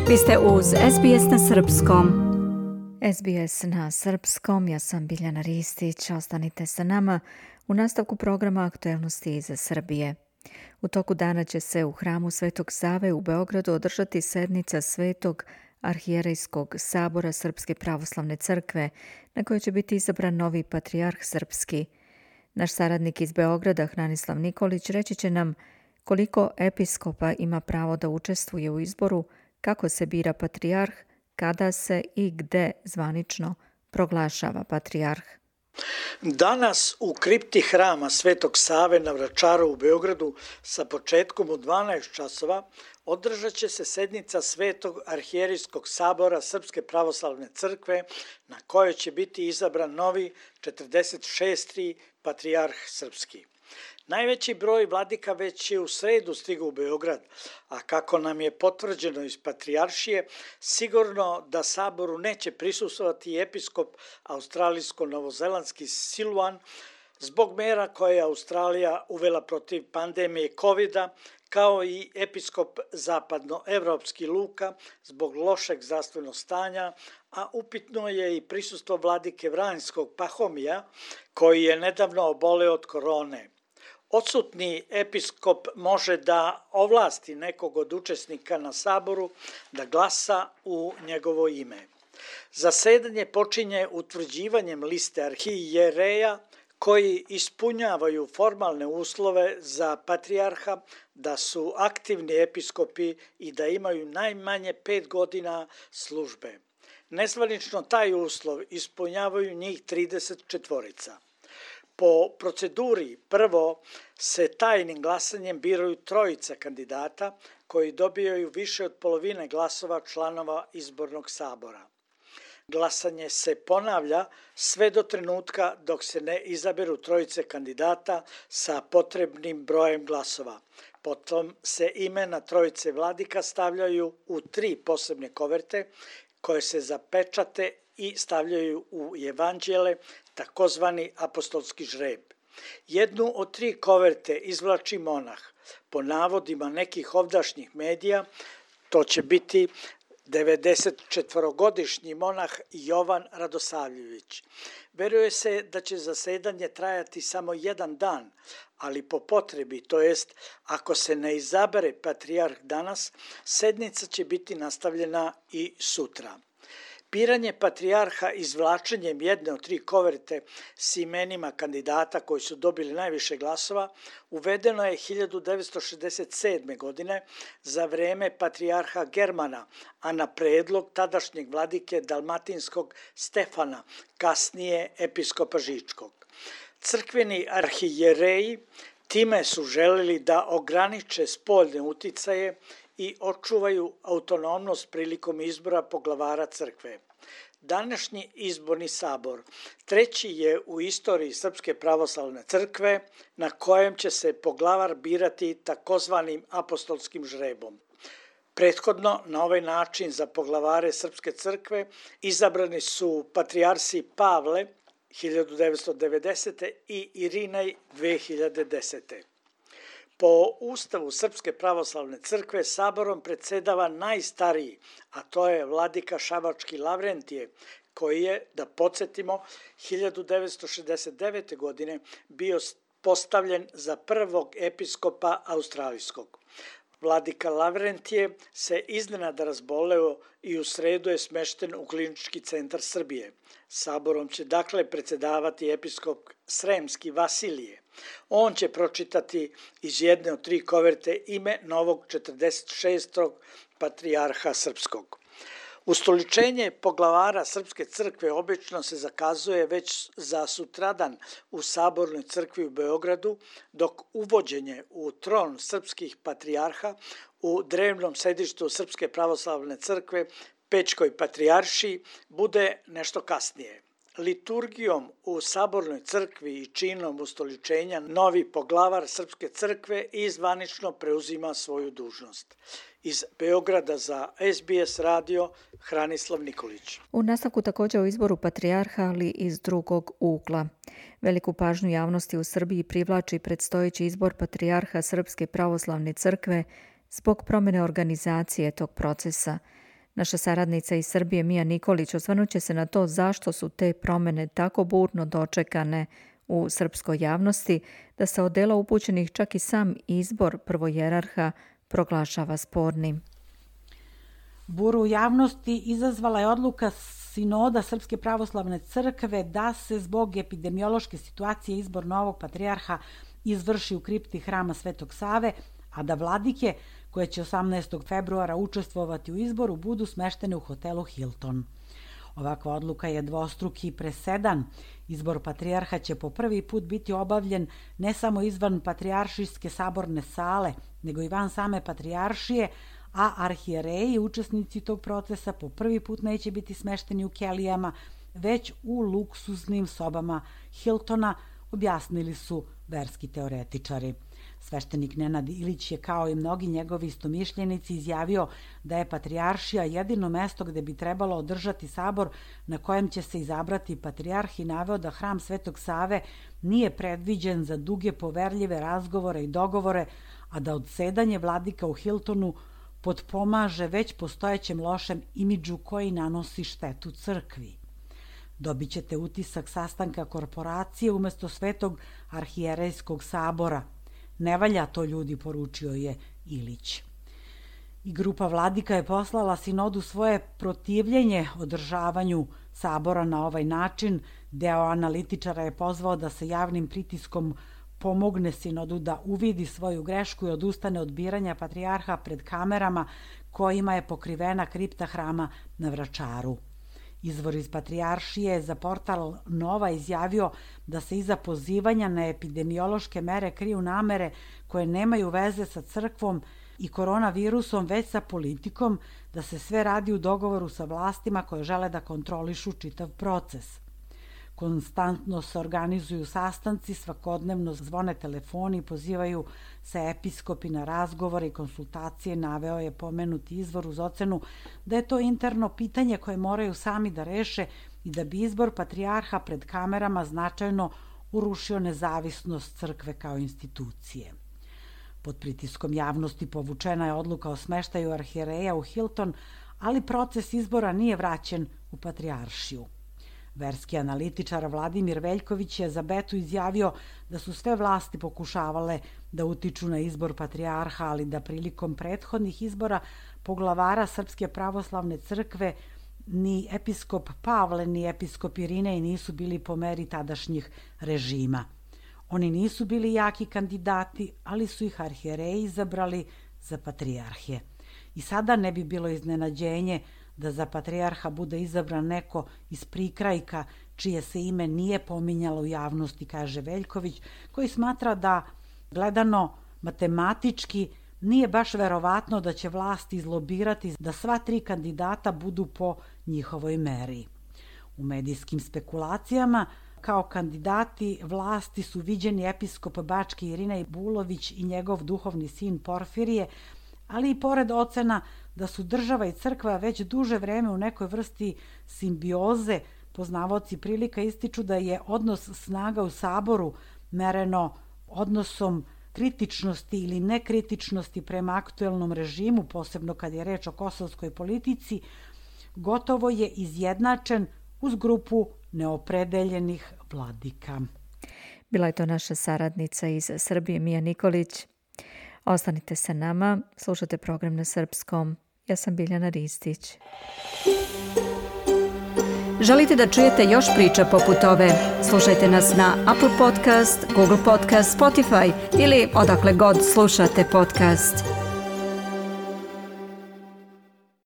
Vi ste uz SBS na Srpskom. SBS na Srpskom, ja sam Biljana Ristić, ostanite sa nama u nastavku programa Aktuelnosti iz Srbije. U toku dana će se u hramu Svetog Save u Beogradu održati sednica Svetog arhijerejskog sabora Srpske pravoslavne crkve, na kojoj će biti izabran novi patrijarh srpski. Naš saradnik iz Beograda, Hranislav Nikolić, reći će nam koliko episkopa ima pravo da učestvuje u izboru, kako se bira patrijarh, kada se i gde zvanično proglašava patrijarh. Danas u kripti hrama Svetog Save na Vračaru u Beogradu sa početkom u 12 časova održat će se sednica Svetog arhijerejskog sabora Srpske pravoslavne crkve na kojoj će biti izabran novi 46. patrijarh srpski. Najveći broj vladika već je u sredu stigao u Beograd, a kako nam je potvrđeno iz patrijaršije, sigurno da saboru neće prisustvovati episkop australijsko-novozelandski Siluan zbog mera koje je Australija uvela protiv pandemije COVID-a, kao i episkop zapadnoevropski Luka zbog lošeg zdravstvenog stanja, a upitno je i prisustvo vladike Vranjskog Pahomija koji je nedavno oboleo od korone. Odsutni episkop može da ovlasti nekog od učesnika na saboru da glasa u njegovo ime. Zasedanje počinje utvrđivanjem liste arhijereja koji ispunjavaju formalne uslove za patrijarha, da su aktivni episkopi i da imaju najmanje 5 godina službe. Nezvanično taj uslov ispunjavaju njih 34. Po proceduri prvo se tajnim glasanjem biraju 3 kandidata koji dobijaju više od polovine glasova članova izbornog sabora. Glasanje se ponavlja sve do trenutka dok se ne izaberu 3 kandidata sa potrebnim brojem glasova. Potom se imena 3 vladika stavljaju u 3 posebne koverte koje se zapečate i stavljaju u evanđele, takozvani apostolski žreb. Jednu od 3 koverte izvlači monah. Po navodima nekih ovdašnjih medija, to će biti 94-godišnji monah Jovan Radosavljević. Veruje se da će zasedanje trajati samo 1 dan, ali po potrebi, to jest ako se ne izabere patrijarh danas, sednica će biti nastavljena i sutra. Biranje patrijarha izvlačenjem jedne od 3 koverte s imenima kandidata koji su dobili najviše glasova uvedeno je 1967. godine za vreme patrijarha Germana, a na predlog tadašnjeg vladike dalmatinskog Stefana, kasnije episkopa Žičkog. Crkveni arhijereji time su želeli da ograniče spoljne uticaje i očuvaju autonomnost prilikom izbora poglavara crkve. Današnji izborni sabor 3. je u istoriji Srpske pravoslavne crkve na kojem će se poglavar birati takozvanim apostolskim žrebom. Prethodno na ovaj način za poglavare Srpske crkve izabrani su patrijarsi Pavle 1990. i Irinej 2010. Po Ustavu Srpske pravoslavne crkve saborom predsedava najstariji, a to je vladika Šabački Lavrentije, koji je, da podsjetimo, 1969. godine bio postavljen za prvog episkopa australijskog. Vladika Lavrentije se iznenada razboleo i u sredu je smešten u Klinički centar Srbije. Saborom će dakle predsedavati episkop Sremski Vasilije. On će pročitati iz jedne od 3 koverte ime novog 46. patrijarha srpskog. Ustoličenje poglavara Srpske crkve obično se zakazuje već za sutradan u Sabornoj crkvi u Beogradu, dok uvođenje u tron srpskih patrijarha u drevnom sedištu Srpske pravoslavne crkve Pećkoj patrijaršiji bude nešto kasnije. Liturgijom u Sabornoj crkvi i činom ustoličenja novi poglavar Srpske crkve i zvanično preuzima svoju dužnost. Iz Beograda za SBS radio Hranislav Nikolić. U nastavku također o izboru patrijarha, ali iz drugog ugla. Veliku pažnju javnosti u Srbiji privlači predstojeći izbor patrijarha Srpske pravoslavne crkve zbog promjene organizacije tog procesa. Naša saradnica iz Srbije Mija Nikolić osvrnut će se na to zašto su te promjene tako burno dočekane u srpskoj javnosti, da se od dela upućenih čak i sam izbor prvojerarha proglašava spornim. Buru u javnosti izazvala je odluka Sinoda Srpske pravoslavne crkve da se zbog epidemiološke situacije izbor novog patrijarha izvrši u kripti hrama Svetog Save, a da vladike koje će 18. februara učestvovati u izboru budu smeštene u hotelu Hilton. Ovakva odluka je dvostruki presedan. Izbor patrijarha će po prvi put biti obavljen ne samo izvan patrijaršijske saborne sale, nego i van same patrijaršije, a arhijereji, učesnici tog procesa, po prvi put neće biti smešteni u kelijama, već u luksuznim sobama Hiltona, objasnili su verski teoretičari. Sveštenik Nenad Ilić je, kao i mnogi njegovi istomišljenici, izjavio da je patrijaršija jedino mesto gde bi trebalo održati sabor na kojem će se izabrati patrijarh i naveo da hram Svetog Save nije predviđen za duge poverljive razgovore i dogovore, a da odsedanje vladika u Hiltonu potpomaže već postojećem lošem imidžu koji nanosi štetu crkvi. Dobit ćete utisak sastanka korporacije umesto Svetog arhijerejskog sabora. Ne valja to, ljudi, poručio je Ilić. I grupa vladika je poslala sinodu svoje protivljenje održavanju sabora na ovaj način. Deo analitičara je pozvao da se javnim pritiskom pomogne sinodu da uvidi svoju grešku i odustane od biranja patrijarha pred kamerama kojima je pokrivena kripta hrama na Vračaru. Izvor iz patrijaršije za portal Nova izjavio da se iza pozivanja na epidemiološke mere kriju namere koje nemaju veze sa crkvom i koronavirusom, već sa politikom, da se sve radi u dogovoru sa vlastima koje žele da kontrolišu čitav proces. Konstantno se organizuju sastanci, svakodnevno zvone telefoni, pozivaju se episkopi na razgovore i konsultacije, naveo je pomenuti izvor uz ocenu da je to interno pitanje koje moraju sami da reše i da bi izbor patrijarha pred kamerama značajno urušio nezavisnost crkve kao institucije. Pod pritiskom javnosti povučena je odluka o smeštaju arhijereja u Hilton, ali proces izbora nije vraćen u patrijaršiju. Verski analitičar Vladimir Veljković je za Betu izjavio da su sve vlasti pokušavale da utiču na izbor patrijarha, ali da prilikom prethodnih izbora poglavara Srpske pravoslavne crkve ni episkop Pavle ni episkop Irinej nisu bili po meri tadašnjih režima. Oni nisu bili jaki kandidati, ali su ih arhijereji izabrali za patrijarhije. I sada ne bi bilo iznenađenje da za patrijarha bude izabran neko iz prikrajka čije se ime nije pominjalo u javnosti, kaže Veljković, koji smatra da, gledano matematički, nije baš verovatno da će vlast izlobirati da sva tri kandidata budu po njihovoj meri. U medijskim spekulacijama kao kandidati vlasti su viđeni episkop Bački Irinej Bulović i njegov duhovni sin Porfirije, ali i pored ocena da su država i crkva već duže vreme u nekoj vrsti simbioze, poznavaoci prilika ističu da je odnos snaga u saboru mereno odnosom kritičnosti ili nekritičnosti prema aktuelnom režimu, posebno kad je reč o kosovskoj politici, gotovo je izjednačen uz grupu neopredeljenih vladika. Bila je to naša saradnica iz Srbije Mija Nikolić. Ostanite sa nama, slušate program na srpskom. Ja sam Biljana Ristić. Želite da čujete još priča poput ove? Slušajte nas na Apple Podcast, Google Podcast, Spotify ili odakle god slušate podcast.